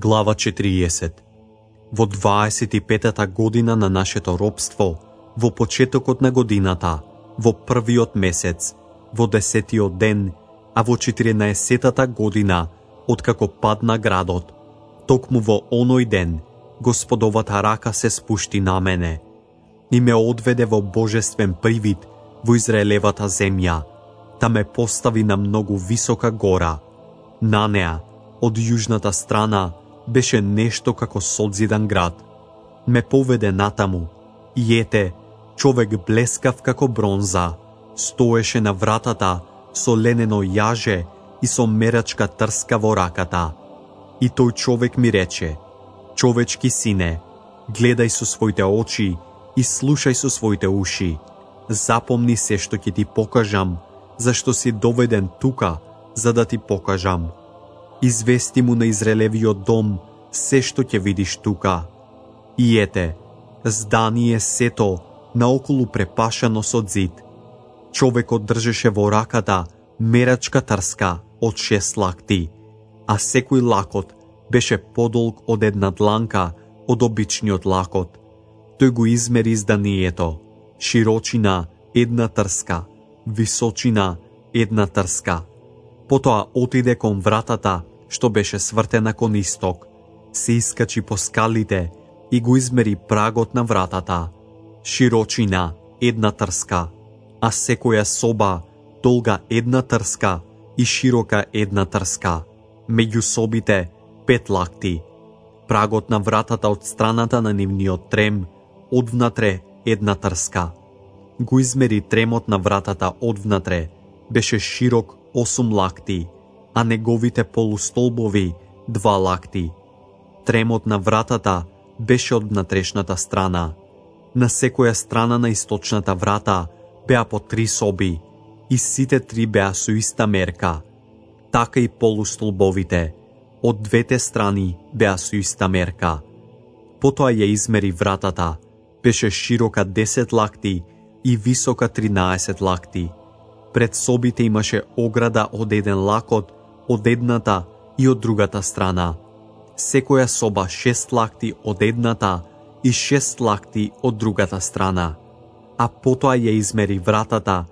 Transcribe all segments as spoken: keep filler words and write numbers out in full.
Глава четириесет. Во дваесет и петата година на нашето робство, во почетокот на годината, во првиот месец, во десетиот ден, а во четиринаесеттата година, откако падна градот, токму во оној ден, Господовата рака се спушти на мене и ме одведе во божествен привид во Израелевата земја, та ме постави на многу висока гора. На неа, од јужната страна, беше нешто како содзидан град. Ме поведе натаму, и ете, човек блескав како бронза, стоеше на вратата со ленено јаже и со мерачка трска во раката. И тој човек ми рече: човечки сине, гледај со своите очи и слушај со своите уши. Запомни се што ќе ти покажам, зашто си доведен тука, за да ти покажам. Извести му на Израелевиот дом се што ќе видиш тука. И ете, здание сето наоколу препашано со зид. Човекот држеше во раката мерачка трска од шест лакти, а секој лакот беше подолг од една дланка од обичниот лакот. Тој го измери зданието, широчина една трска, височина една трска. Потоа отиде кон вратата што беше свртена кон исток, се искачи по скалите и го измери прагот на вратата, широчина една трска, а секоја соба долга една трска и широка една трска, меѓу собите пет лакти. Прагот на вратата од страната на нивниот трем, одвнатре една трска. Го измери тремот на вратата одвнатре, беше широк осум лакти, а неговите полустолбови два лакти. Тремот на вратата беше од внатрешната страна. На секоја страна на источната врата беа по три соби, и сите три беа со иста мерка. Така и полустолбовите, од двете страни беа со иста мерка. Потоа ја измери вратата, беше широка десет лакти и висока тринаесет лакти. Пред собите имаше ограда од еден лакот, од едната и од другата страна. Секоја соба шест лакти од едната и шест лакти од другата страна. А потоа ја измери вратата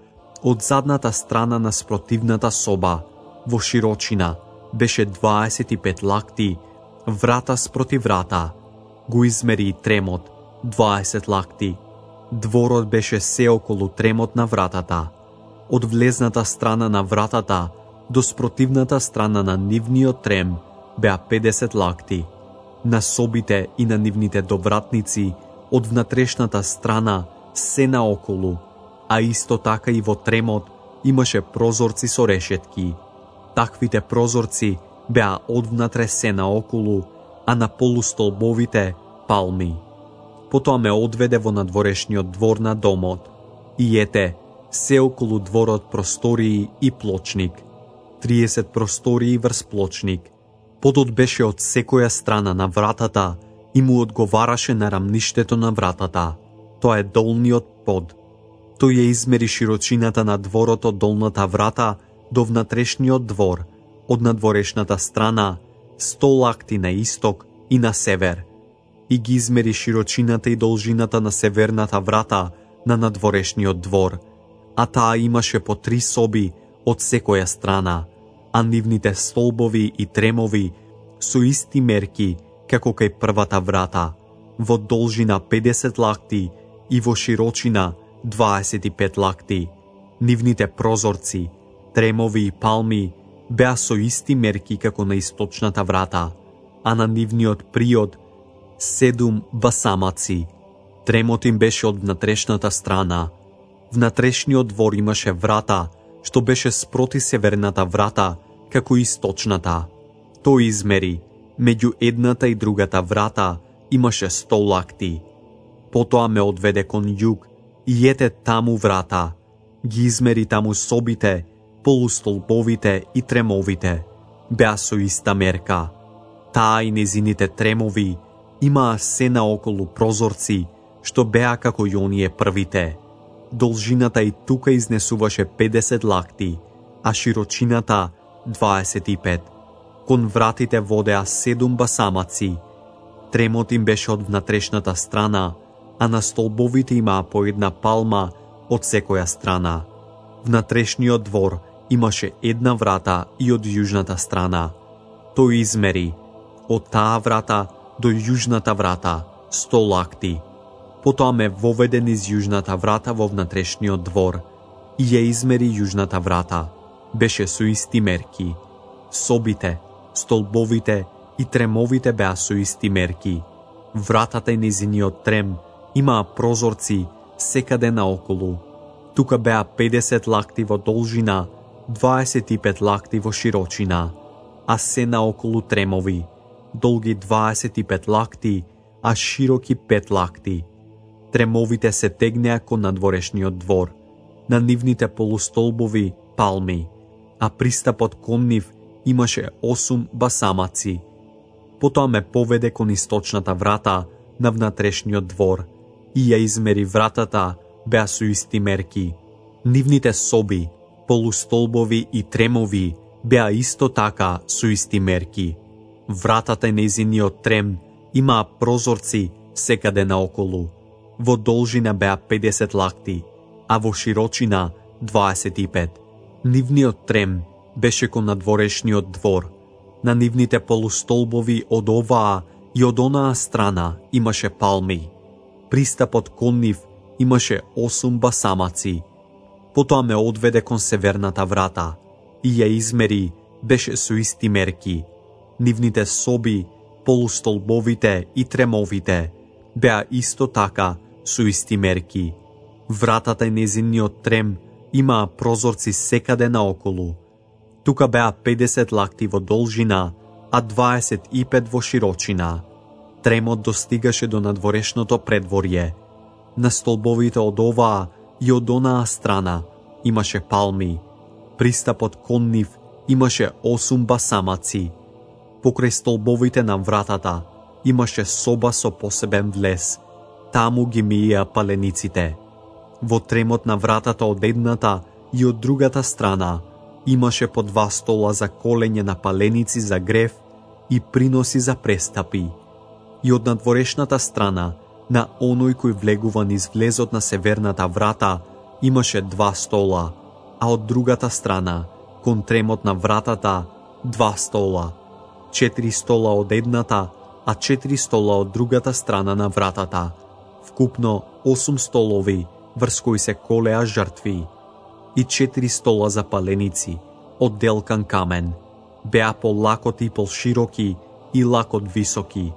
од задната страна на спротивната соба, во широчина беше дваесет и пет лакти, врата спроти врата. Го измери и тремот, дваесет лакти. Дворот беше се околу тремот на вратата. Од влезната страна на вратата до спротивната страна на нивниот трем беа педесет лакти. На собите и на нивните довратници од внатрешната страна се наоколу, а исто така и во тремот имаше прозорци со решетки. Таквите прозорци беа одвнатре се наоколу, а на полустолбовите палми. Потоа ме одведе во надворешниот двор на домот. И ете, се околу дворот простории и плочник. триесет простории врз плочник. Подот беше од секоја страна на вратата и му одговараше на рамништето на вратата. Тоа е долниот под. Тој ја измери широчината на дворот од долната врата до внатрешниот двор, од надворешната страна, сто лакти на исток и на север. И ги измери широчината и должината на северната врата на надворешниот двор, а таа имаше по три соби од секоја страна, а нивните столбови и тремови со исти мерки како кај првата врата, во должина педесет лакти и во широчина дваесет и пет лакти. Нивните прозорци, тремови и палми беа со исти мерки како на источната врата, а на нивниот приод седум басамаци. Тремот им беше од внатрешната страна. Внатрешниот двор имаше врата, што беше спроти северната врата, како и источната. Тој измери, меѓу едната и другата врата имаше сто лакти. Потоа ме одведе кон југ и ете таму врата. Ги измери таму собите, полустолбовите и тремовите. Беа со иста мерка. Таа и незините тремови имаа се наоколу прозорци, што беа како и оние првите. Должината и тука изнесуваше педесет лакти, а широчината дваесет и пет. Кон вратите водеа седум басамаци. Тремот им беше од внатрешната страна, а на столбовите имаа по една палма од секоја страна. Внатрешниот двор имаше една врата и од јужната страна. Тој измери од таа врата до јужната врата сто лакти. Потоа ме воведе низ јужната врата во внатрешниот двор и ја измери јужната врата. Беше со исти мерки. Собите, столбовите и тремовите беа со исти мерки. Вратата и незиниот трем имаа прозорци секаде наоколу. Тука беа педесет лакти во должина, дваесет и пет лакти во широчина, а се наоколу тремови, долги дваесет и пет лакти, а широки пет лакти. Тремовите се тегнеа кон надворешниот двор, на нивните полустолбови палми, а пристапот кон нив имаше осум басамаци. Потоа ме поведе кон источната врата на внатрешниот двор и ја измери вратата, беа со исти мерки. Нивните соби, полустолбови и тремови беа исто така со исти мерки. Вратата и незиниот трем имаа прозорци секаде наоколу. Во должина беа педесет лакти, а во широчина дваесет и пет. Нивниот трем беше кон надворешниот двор. На нивните полустолбови од оваа и од онаа страна имаше палми. Пристапот кон нив имаше осум басамаци. Потоа ме одведе кон северната врата и ја измери, беше со исти мерки. Нивните соби, полустолбовите и тремовите беа исто така со исти мерки. Вратата и незиниот трем имаа прозорци секаде наоколу. Тука беа педесет лакти во должина, а дваесет и пет во широчина. Тремот достигаше до надворешното предворје. На столбовите од оваа и од онаа страна имаше палми. Пристапот кон нив имаше осум басамаци. Покрај столбовите на вратата имаше соба со посебен влез. Таму ги миеа палениците. Во тремот на вратата од едната и од другата страна имаше по два стола за колење на паленици за грев и приноси за престапи. И од надворешната страна, на оној кој влегува низ влезот на северната врата, имаше два стола, а од другата страна, кон тремот на вратата, два стола. Четири стола од едната, а четири стола од другата страна на вратата. Вкупно осум столови, врз кои се колеа жртви. И четири стола за паленици, од делкан камен. Беа полакоти и полшироки и лакот високи.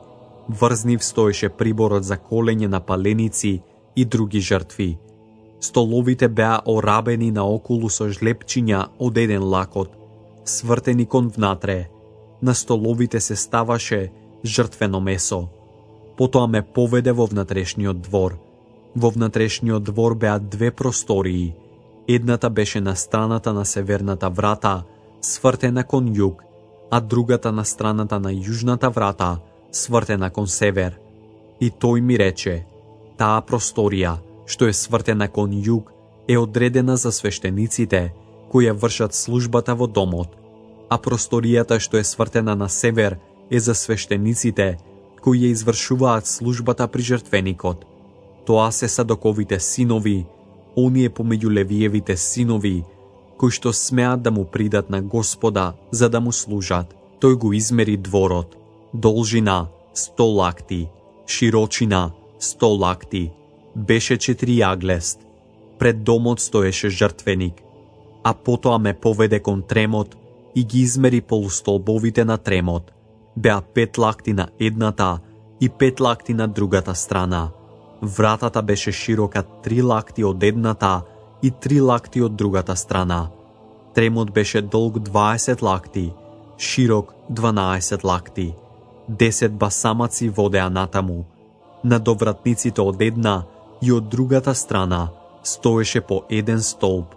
Врз нив стоеше приборот за колење на паленици и други жртви. Столовите беа орабени наоколу со жлепчиња од еден лакот, свртени кон внатре. На столовите се ставаше жртвено месо. Потоа ме поведе во внатрешниот двор. Во внатрешниот двор беа две простории. Едната беше на страната на северната врата, свртена кон југ, а другата на страната на јужната врата, свртена кон север. И тој ми рече, таа просторија, што е свртена кон југ, е одредена за свештениците, кои ја вршат службата во домот, а просторијата што е свртена на север е за свештениците, кои ја извршуваат службата при жртвеникот. Тоа се Садоковите синови, оние помеѓу Левиевите синови, кои што смеат да му придат на Господа за да му служат. Тој го измери дворот. Должина сто лакти, широчина сто лакти, беше четири јаглест. Пред домот стоеше жртвеник, а потоа ме поведе кон тремот и ги измери полустолбовите на тремот. Беа пет лакти на едната и пет лакти на другата страна. Вратата беше широка три лакти од едната и три лакти од другата страна. Тремот беше долг дваесет лакти, широк дванаесет лакти. Десет басамаци водеа натаму. На довратниците од една и од другата страна стоеше по еден столб.